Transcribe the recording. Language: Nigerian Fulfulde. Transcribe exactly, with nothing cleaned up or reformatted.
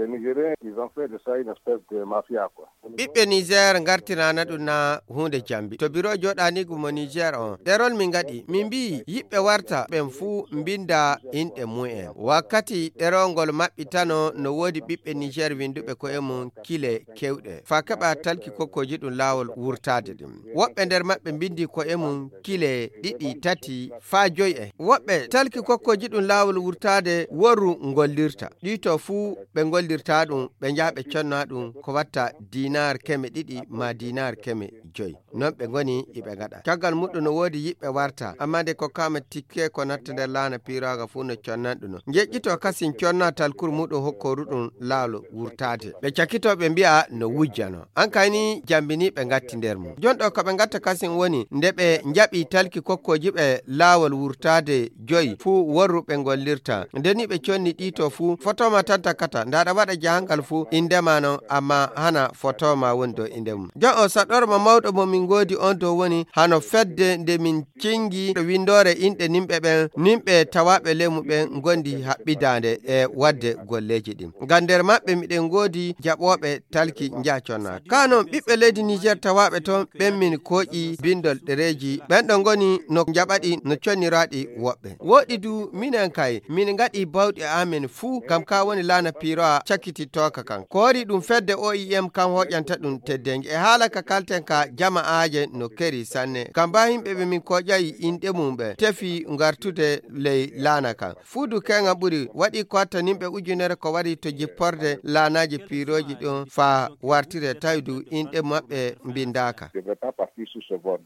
Nigériens, ils ont fait de ça une espèce de mafia quoi. ɓiɓɓe Niger gartirana ɗum na hunde jambi to biro joɗani gumo Niger on ɗerol min gaɗi min mbi yiɓɓe warta ɓen fuu mbinda inɗe mu'en wakkati ɗerolngol maɓɓitano no wodi ɓiɓɓe Niger winduɓe ko'e mum kile kewɗe fa keɓa talki kokkoji ɗum lawol wurtade ɗum woɓɓe nder maɓɓe mbindi ko'e mum kile ɗiɗi tati fa joyi en woɓɓe talki kokkoji ɗum lawol wurtade woru ngollirta ɗito fuu ɓe ngollirta ɗum ɓe jaɓe conna ɗum ko watta dinar keme ɗiɗi ma dinar keme joyi non ɓe goni iɓe gaɗa caggal muɗum no wodi yiɓɓe warta amma nde ko kama tikke ko natta nder laana piraga fu no connan ɗum jeƴƴito kasin conna talkur muɗum hokkoru ɗum laalo wurtade ɓe cakkito ɓe mbi'a no wujjano an kayni jambini ɓe gatti nder mum jonɗo ko ɓe gatta kasin woni nde ɓe jaɓi talki kokkoji ɓe laawol wurtade joyi fuu worru ɓe gollirta ndeni ɓe conni ɗito fuu fotoma tan takkata ndaɗa waɗa jahangal fuu indema non amma hana fotoma woni dow inde mum jon o saɗorma mawɗo mo min godi on dow woni hano fedde nde min cingi ɗo windore inɗe nimɓe ɓen nimɓe tawaɓe lemu ɓen gondi haɓɓidande e wadde golleji ɗin ngam nder maɓɓe miɗen godi jaɓoɓe talki jaconna kanon ɓiɓɓe leydi Niger tawaɓe ton ɓen min koƴi bindol ɗereji ɓen ɗo goni no jaɓaɗi no conniraɗi woɓɓe woɗi du minen kay min gaɗi bawɗi amen fuu kam ka woni laana piroa cakkitittoka kan ko wari ɗum fedde O I M kan hoƴanta ɗum teddengue e haala ka kalten ka jama'aje no keri sanne kam ba himɓe ɓe min koƴayi inɗe mum ɓe tefi gartude ley laana kan fuudu kenga ɓuri waɗi ko hatta nimɓe ujunere ko wari to jipporde laanaji piroji ɗon fa wartire tawdu inɗe maɓɓe mbindaka.